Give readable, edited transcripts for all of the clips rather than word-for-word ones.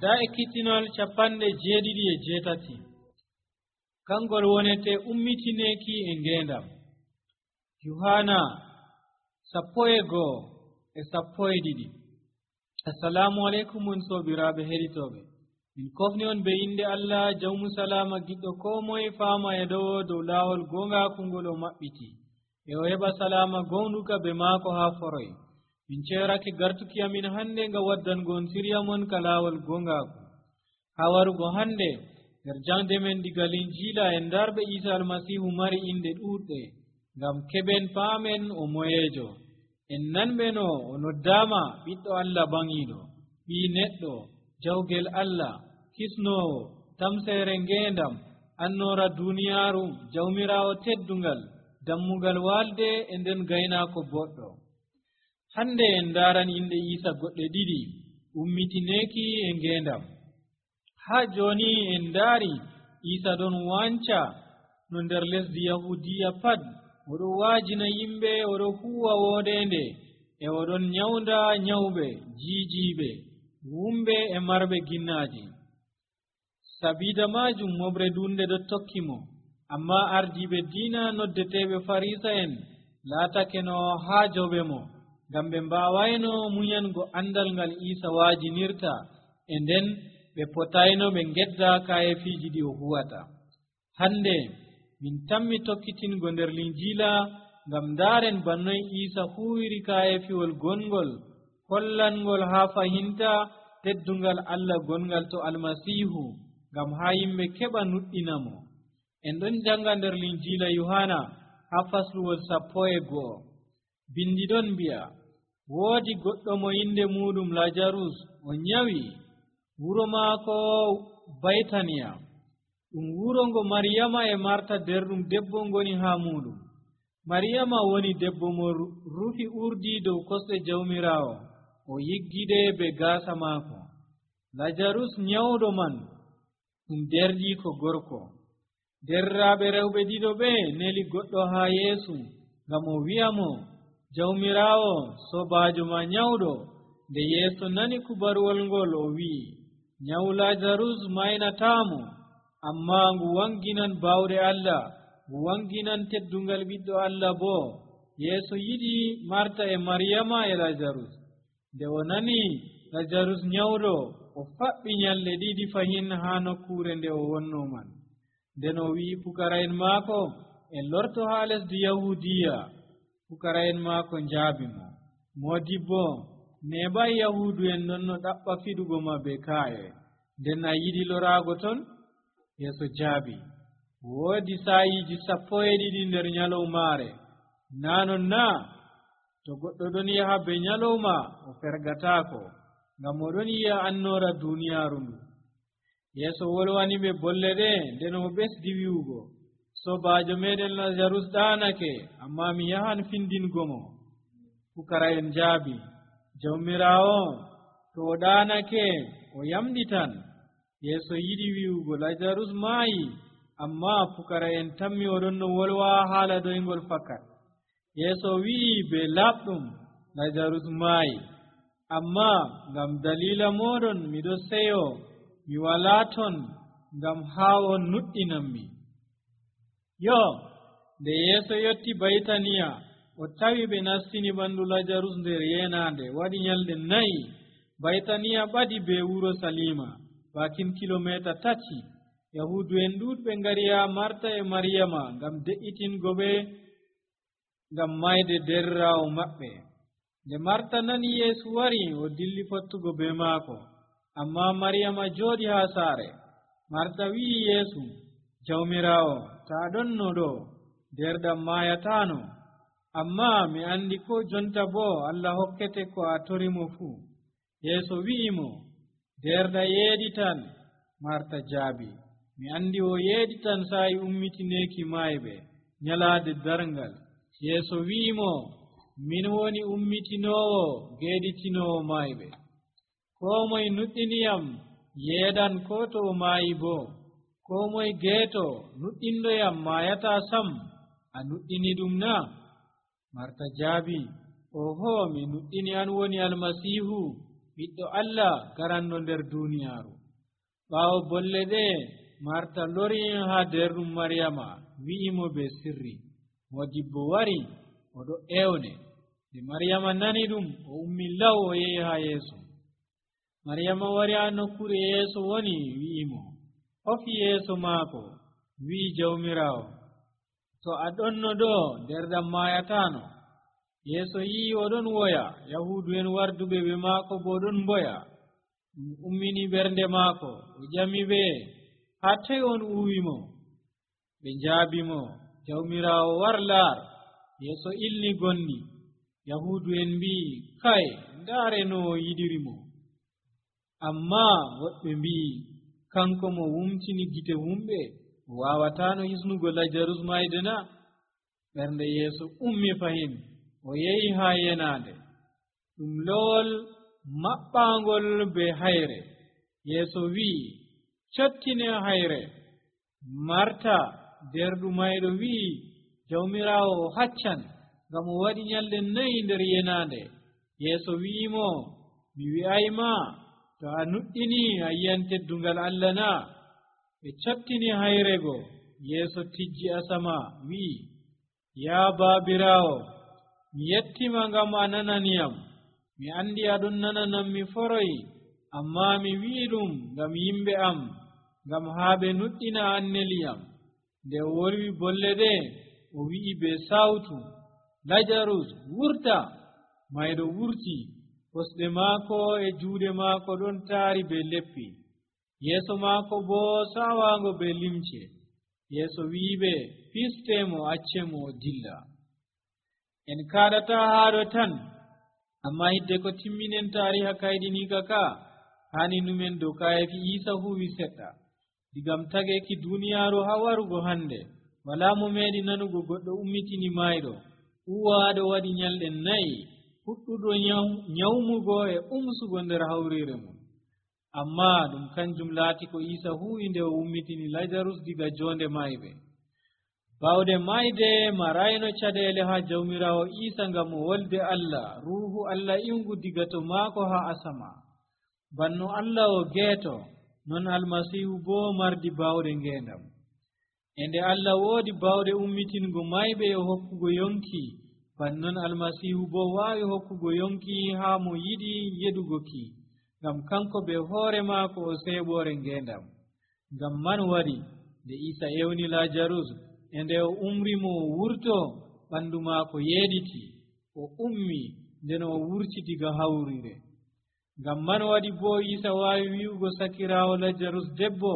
da ekkitinol 78 kangol wonete ummitineki e ngendam. Yohana 11:12. Assalamu alaikum on sobiraɓe heɗitoɓe. min kofni on be inde Allah jawmu salama giɗɗo ko moye fama e dow lawol gongaku ngol o maɓɓiti e o heɓa salama gonduka be maako ha foroy. min cerake gartuki amin hande nga waddango on sirya mon ka lawol gongaku ha warugo hande nder jangde men diga Linjila en darɓe Isa almasihu mari inde ɗuɗɗe ngam keɓen paamen o moyejo. en nanɓeno o noddama ɓiɗɗo Allah bangiɗo, ɓi neɗɗo, jawgel Allah, kisnowo, tamsere ngendam, annora duniyaru, jawmirawo teddungal, dammugal walde e nden gaynako boɗɗo. hande en daran inde Isa goɗɗe ɗiɗi ummitineki e ngendam. ha joni en dari Isa ɗon wanca no nder lesdi Yahudiya pat, oɗo waajina yimɓe, oɗo huwa wodende e oɗon nyawda nyawɓe, jiijiɓe, wumɓe e marɓe ginnaji. sabida majum moɓre dunde ɗo tokkimo, amma ardiɓe diina noddeteɓe Farisa en laatake no haajoɓe mo, ngam ɓe mbawayno muyango andal ngal Isa waajinirta, e nden ɓe potayno ɓe gedda kayefiji ɗi o huwata. hande min tammi tokkitingo nder Linjila ngam daren bannoy Isa huwiri kayefiwol gongol hollangol ha fahinta teddungal Allah gongal to almasihu, ngam ha yimɓe keɓa nuɗɗinamo. en ɗon janga nder Linjila Yohana ha fasluwol 11. bindi ɗon mbi'a, woodi goɗɗo mo inde muɗum Lajarus o nyawi. wuro maako Baytaniya, ɗum wuro ngo Maryama e Marta nder ɗum debbo ngoni ha muɗum. Maryama woni debbo mo rufi urdi dow kosɗe jawmirawo, o yiggide be gaasa maako. Lajarus nyawɗo man ɗum derdi ko gorko. derraɓe rewɓe ɗiɗo ɓe neli goɗɗo ha Yeesu ngam o wi'a mo, jawmirawo, sobajo ma nyawɗo. nde Yeesu nani kubaruwol ngol o wi'i, nyawu Lajarus maynatamo, amma ngu wanginan bawɗe Allah, ngu wanginan teddungal ɓiɗɗo Allah bo. Yeesu yiɗi Marta e Maryama e Lajarus. nde o nani Lajarus nyawɗo, o faɓɓi nyalɗe ɗiɗi fahin ha nokkure nde o wonno man. nden o wi'i pukara'en maako en lorto ha lesdi Yahudiya. pukara'en maako njaabi mo. modibbo, neɓay Yahudu en nonno ɗaɓɓa fiɗugo ma be kaaye, nden a yiɗi lorago ton? Yeesu jaabi, woodi saayiji 12 nder nyalowmaare. nanon na? to goɗɗo ɗon yaha be nyalowma o fergataako, ngam oɗon yi'a annora duniyaaru ndu. Yeesu wolwani ɓe bolle ɗe, nden o ɓesdi wi'ugo, sobajo meɗen Lajarus ɗaanake, amma mi yahan findingo mo. pukara'en jaabi, jawmirawo, to o ɗaanake o yamɗitan. Yeesu yiɗi wi'ugo Lajarus maayi, amma pukara'en tammi oɗon no wolwa haala doyngol fakat. Yeesu wi'i be laɓɗum, Lajarus maayi, amma ngam dalila moɗon miɗo seyo mi wala ton, ngam haa on nuɗɗinanmi. yo nde Yeesu yotti Baytaniya, o tawi ɓe nastini ɓandu Lajarus nder yenande. waɗi nyalɗe 4. Baytaniya ɓadi be wuro Salima, bakin kilomita 3. Yahudu en ɗuɗɓe ngari ha Marta e Maryama ngam de'itingo ɓe ngam mayde derrawo maɓɓe. nde Marta nani Yeesu wari, o dilli fottugo be maako, amma Maryama jooɗi ha saare. Marta wi'i Yeesu, jawmirawo, ta ɗonno ɗo, derɗam mayatano. amma mi andi ko jonta bo Allah hokkete ko a torimo fuu. Yeesu wi'imo, derɗa yeeɗitan. Marta jaabi, mi andi o yeeɗitan saayi ummitineki mayɓe nyalaade darngal. Yeesu wi'imo, min woni ummitinowo geeɗitinowo mayɓe. ko moye nuɗɗiniyam yeeɗan ko to o maayi bo. ko moye geeto nuɗɗindoyam maayata sam. a nuɗɗini ɗum na? Marta jaabi, oho, mi nuɗɗini an woni Almasihu, ɓiɗɗo Allah garanɗo nder duniyaaru. ɓaawo bolle ɗe Marta lori haa derɗum Maryama wi'imo be sirri. Modibbo wari oɗo ewne. nde Maryama nani ɗum o ummi law o yehi haa Yeesu. Maryama wari haa nokkure Yeesu woni wi'imo, hofi yeeso maako, wi'i Jawmiraawo, to a ɗonno ɗo nder ɗam maayataano. Yeesu yi'i oɗon woya, Yahuudu'en warduɓe ɓe maako bo ɗon mboya. ɗum ummini ɓernde maako. o ƴami ɓe, haa toy on uwimo? ɓe njaabimo, Jawmiraawo war laar. Yeesu ilni gonɗi. Yahuudu'en mbi'i, kay ndaare no o yiɗirimo. Ammaa woɓɓe mbi'i, kanko mo wumtini gite wumɓe o waawataano hisnugo Lajarus mayde na? ɓernde Yeesu ummi fahin. o yehi haa yenaande, ɗum lowol maɓɓaangol be hayre. Yeesu wi'i, cottine hayre. Marta derɗu mayɗo wi'i, Jawmiraawo o haccan, ngam o waɗi nyalɗe 4 nder yenaande. Yeesu wi'imo, mi wi'ayma, to a nuɗɗini a yi'an teddungal Allah na? ɓe cottini hayrego. Yeesu tijji asama wi'i, yaa Baabiraawo, mi yettima ngam a nananiyam. mi andi aɗon nananam mi foroyi, ammaa mi wi'i ɗum ngam yimɓe am, ngam haa ɓe nuɗɗina anneliyam. nde o wolwi bolle ɗe, o wi'i be sawtu, Lajarus wurta. mayɗo wurti, kosɗe maako e juuɗe maako ɗon taari be leppi, yeeso maako bo sawaango be limce. Yeesu wi'iɓe, pistemo, accemo o dilla. en kaɗata haaɗo tan, amma hidde ko timminen taariha kayɗiniika ka, hani numen dow kayefi Iisa huwi seɗɗa. digam tageki duniyaaru haa warugo hande, walaa mo meeɗi nanugo goɗɗo ummitini mayɗo, uwaaɗo waɗi nyalɗe 4, fuɗɗuɗo nyawmugo e umsugo nder hawriire mum. amma ɗum kanjum laati ko Iisa huwi nde o ummitini Lajarus diga jonde mayɓe. bawde mayde marayno caɗeele haa Jawmiraawo Iisa ngam o wolde Allah, ruuhu Allah iwgu diga to maako haa asama. banno Allah o geeto, non Almasiihu boo mardi bawɗe ngeendam. e nde Allah woodi bawɗe ummitingo mayɓe e hokkugo yonki, bannon Almasiihu boo waawi hokkugo yonki haa mo yiɗi yeɗugo ki, ngam kanko be hoore maako o seeɓoore ngeendam. ngam man waɗi nde Iisa ewni Lajarus, e nde o umrimo o wurto, ɓanndu maako yeeɗiti, o ummi nden o wurti diga hawrire. ngam man waɗi boo Iisa waawi wi'ugo sakiraawo Lajarus, debbo,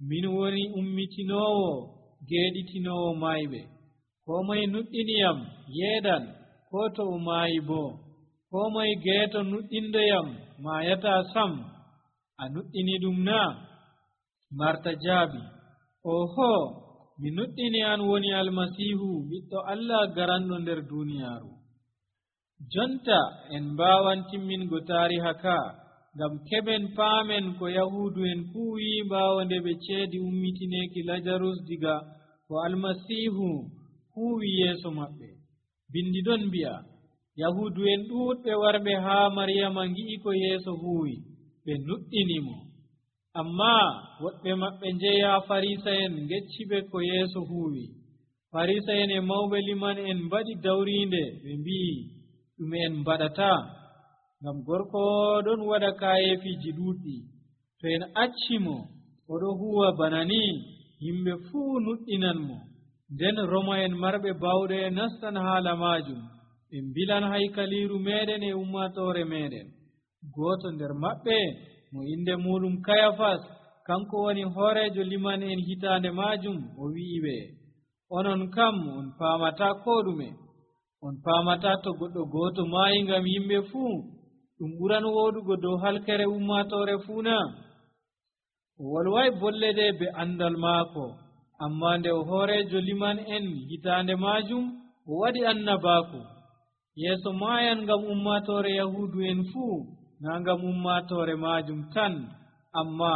min woni ummitinoowo geeɗitinoowo mayɓe. koo moye nuɗɗiniyam yeeɗan, koo to o maayi boo. koo moye geeto nuɗɗindoyam maayataa sam. a nuɗɗini ɗum na? Marta jaabi, oho, mi nuɗɗini an woni Almasiihu, ɓiɗɗo Allah garanɗo nder duniyaaru. jonta en mbaawan timmingo taariha ka, ngam keɓen paamen ko Yahuudu'en kuuyi ɓaawo nde ɓe ceedi ummitineeki Lajarus diga ko Almasiihu huwi yeeso maɓɓe. bindi ɗon mbi'a, Yahuudu'en ɗuuɗɓe warɓe haa Maryama ngi'i ko Yeesu huwi, ɓe nuɗɗinimo. ammaa woɗɓe maɓɓe njehi haa Farisa'en ngecciɓe ko Yeesu huwi. Farisa'en e mawɓe liman en mbaɗi dawriinde, ɓe mbi'i, ɗume en mbaɗata? ngam gorko ɗon waɗa kayefiiji ɗuuɗɗi. to en accimo oɗo huwa bana ni, yimɓe fuu nuɗɗinan mo. nden Roma en marɓe bawɗe nastan haala maajum, ɓe mbilan haykaliiru meɗen e ummatoore meɗen. gooto nder maɓɓe, mo inde muɗum Kayafas, kanko woni hoorejo liman en hitaande maajum, o wi'i ɓe, onon kam on paamata koo ɗume. on paamata to goɗɗo gooto maayi ngam yimɓe fuu, ɗum ɓuran wooɗugo dow halkere ummatoore fuu na? o wolway bolle ɗe be andal maako, amma nde o hoorejo liman en hitaande maajum, o waɗi annabaaku. yeeso maayan ngam ummatoore Yahuudu en fuu, naa ngam ummatoore maajum tan, amma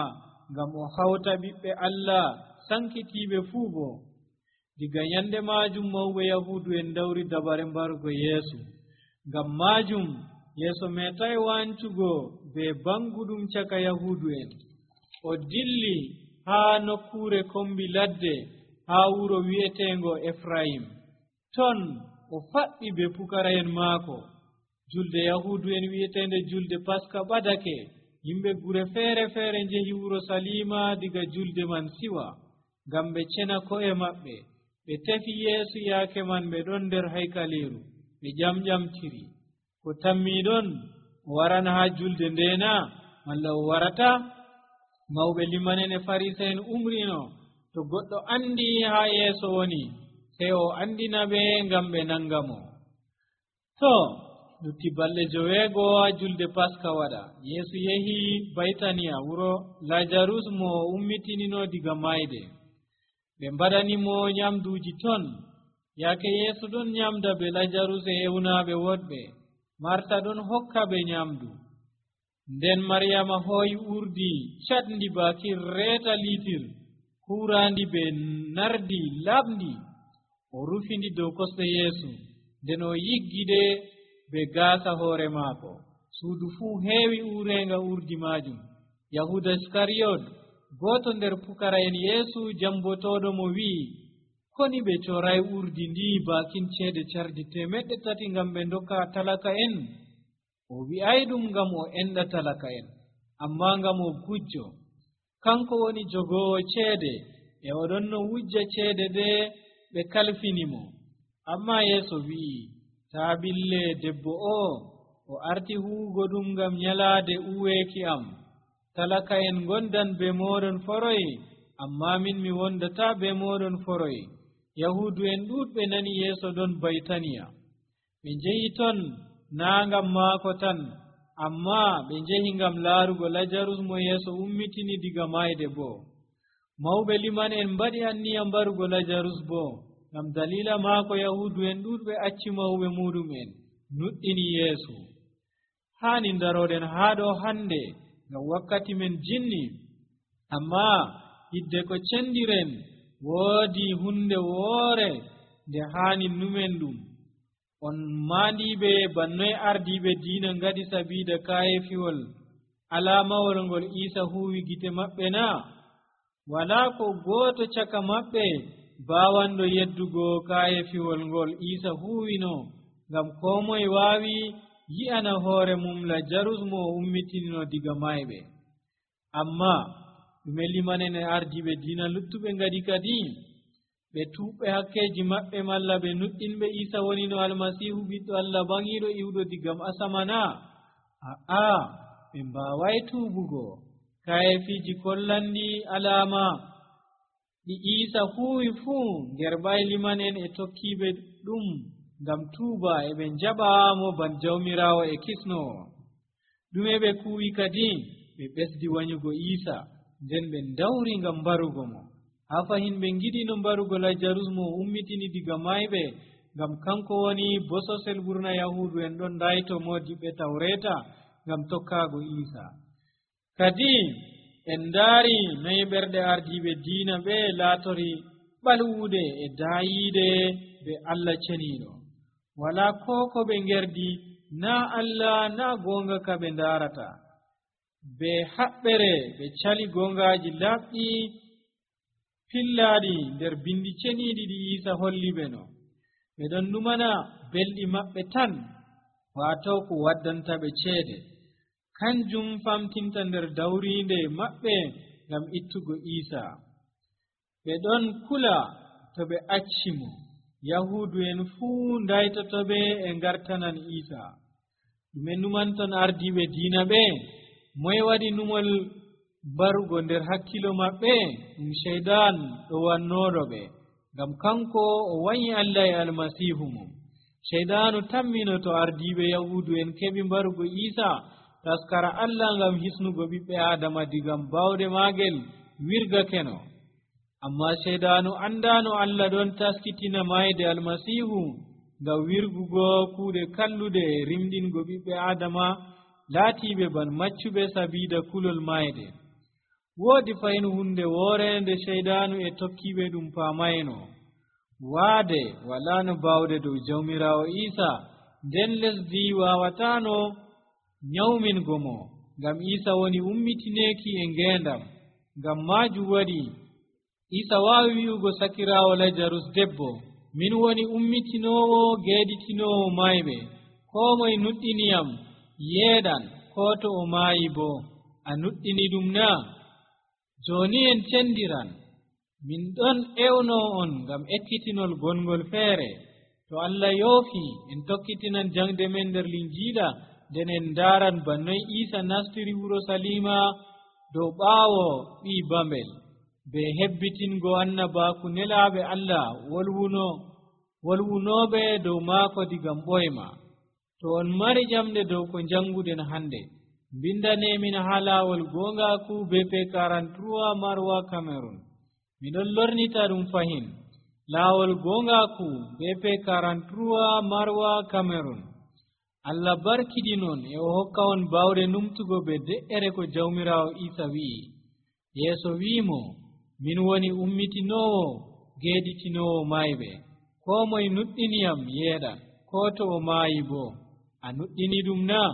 ngam o hawta ɓiɓɓe Allah sankitiiɓe fuu bo. diga nyande maajum mawɓe Yahuudu en dawri dabare mbarugo Yeesu. ngam maajum yeeso metai wancugo be banguɗum caka yahudu en o dilli haa nokkure kombi ladde haa wuro wi'etengo Efraim. Ton o faɓɓi be pukara'en maako. Julde yahudu en wi'etende julde Paska ɓadake. Yimɓe gure feere feere njehi wuro Salima diga julde man siwa ngam ɓe cena ko'e maɓɓe. Ɓe tefi Yeesu yaake man ɓe ɗon nder haykaleeru ɓe ƴamƴamtiri. Ko tammiɗon o warana haa julde ndena malla o warata? Mawɓe limanen e Farisa'en umrino to goɗɗo andi haa yeeso woni sey o andina ɓe ngam ɓe nanga mo. To lutti balɗe 9 haa julde Paska waɗa, Yeesu yehi Baytaniya wuro Lajarus mo ummitinino diga mayde. ɓe mbaɗanimo nyamduuji ton. Yaake Yeesu ɗon nyamda be Lajarus e ewnaaɓe woɗɓe. Marta ɗon hokka ɓe nyamdu. Nden Maryama hooyi urdi catndi baakir reeta liitir huuraandi be nardi laɓndi o rufindi dow kosɗe Yeesu. Nden o yiggiɗe be gaasa hoore maako. Suudu fuu heewi uurenga urdi maajum. Yahuda Iskariyot, gooto nder pukara'en Yeesu jambotooɗo mo wi'i, koni ɓe coray urdi ndi baakin ceede cardi 300 ngam ɓe ndokka talaka en? O wi'ay ɗum ngam o enɗa talaka en, amma ngam o gujjo. Kanko woni jogoowo ceede e oɗon no wujja ceede ɗe ɓe kalfinimo. Amma Yeesu wi'i, taa ɓille debbo o arti huugo ɗum ngam nyalaade uweeki am. Talaka en gondan be moɗon foroy, amma min mi wondata be moɗon foroy. Yahudu en ɗuɗɓe nani Yeeso ɗon Baytaniya. Ɓe njehi ton naa ngam maako tan, amma ɓe njehi ngam laarugo Lajarus mo Yeeso ummitini diga mayde bo. Mawɓe liman en mbaɗi anniya mbarugo Lajarus bo, ngam dalila maako Yahudu en ɗuɗɓe acci mawɓe muɗum en nuɗɗini Yeesu. Haani daroɗen haa ɗo hande ngam wakkati men jinni, amma hidde ko cendiren woodi hunde woore nde haani numen ɗum. On maandiɓe bannoy ardiɓe diina ngaɗi sabiida kaayefiwol alamawol ngol Iisa huwi gite maɓɓe na? Walaa ko gooto caka maɓɓe baawanɗo yeddugo kaayefiwol ngol Iisa huwino, ngam koo moye waawi yi'ana hoore mum Lajarus mo ummitinino diga mayɓe. Amma ɗume limanen e ardiɓe diina luttuɓe ngaɗi kadi? ɓe tuuɓɓe hakkeji maɓɓe malla ɓe nuɗɗinɓe Iisa wonino Almasiihu ɓiɗɗo Allah bangiɗo iwɗo digam asamana? Aa, ɓe mbaway tuubugo. Kayefiji kollandi alama ɗi Iisa huwi fuu ngerɓay limanen e tokkiɓe ɗum ngam tuuba e ɓe njaɓamo ban jawmirawo e kisnowo. ɗume ɓe kuwi kadi? ɓe ɓesdi wanyugo Iisa, nden ɓe dawri ngam mbarugo mo. Ha fahin ɓe ngiɗino mbarugo Lajarus mo ummitini diga mayɓe, ngam kanko woni bososel ɓurna Yahudu en ɗon dayto modiɓɓe Tawreta ngam tokkaago Iisa. Kadi en ndaari noy ɓerɗe ardiɓe diina ɓe laatori ɓalwude e daayiide be Allah ceniiɗo. Wala ko ɓe ngerdi, na Allah na gonga ka ɓe ndaarata. Be haɓɓere ɓe cali gongaaji laaɓɗi pillaaɗi nder bindi ceniiɗi ɗi Iisa holli ɓe no. ɓe ɗon numana belɗi maɓɓe tan, waato ko waddanta ɓe ceede. Kanjum famtinta nder dawriinde maɓɓe ngam ittugo Iisa. ɓe ɗon kula to ɓe acci mo. Yahudu en fuu ndaytoto ɓe e ngartanan Iisa. ɗume numanton ardiɓe diina ɓe? moye waɗi numol barugo nder hakkilo maɓɓe? ɗum Sheydan ɗo wannoɗo ɓe, ngam kanko o wanyi Allah e Almasiihu mum. Sheydanu tamminoto ardiɓe Yahudu en keɓi mbarugo Iisa taskara Allah ngam hisnugo ɓiɓɓe Adama digam bawɗe maagel wirgakeno. Amma Sheydanu andano Allah ɗon taskitina mayde Almasiihu ngam wirgugo kuuɗe kallude e rimɗingo ɓiɓɓe Adama laatiɓe ban maccuɓe sabiida kulol mayde. Woodi fayin hunde woore nde Sheydanu e tokkiɓe ɗum paamayno. Waade wala no bawde dow jawmirawo Iisa, nden lesdi wawatano nyawmingo mo ngam Isa woni ummitineeki e ngeendam. Ngam maajum waɗi Isa waawi wi'ugo sakiraawo Lajarus, debbo, min woni ummitinoowo geeditinoowo mayɓe. Koo moye nuɗɗiniyam yeeɗan, koo to o maayi boo. A nuɗɗini ɗum naa? Jooni en cendiran. Min ɗon ewnoo on ngam ekkitinol gongol feere. To Allah yoofii en tokkitinan jangde men nder Linjiila, nden en ndaaran bannoy Isa nastiri wuro Salima dow ɓaawo ɓii bambel, be hebbitingo annabaaku nelaaɓe Allah wolwunooɓe dow maako digam ɓoyma. To on mari ƴamɗe dow ko janguɗen hannde, mbindanemin haa laawol goongaaku BP 43 Marwa Cameroon. Miɗon lornita ɗum fahin. Laawol goongaaku BP 43 Marwa Cameroon. Allah barkidinon e o hokka on bawɗe numtugo be de'ere ko Jawmiraawo Isa wi'i. Yeeso wi'imo, min woni ummitinoowo geeditinoowo mayɓe. Koo moye nuɗɗiniyam yeeɗan, koo to o maayi boo. A nuɗɗini ɗum naa?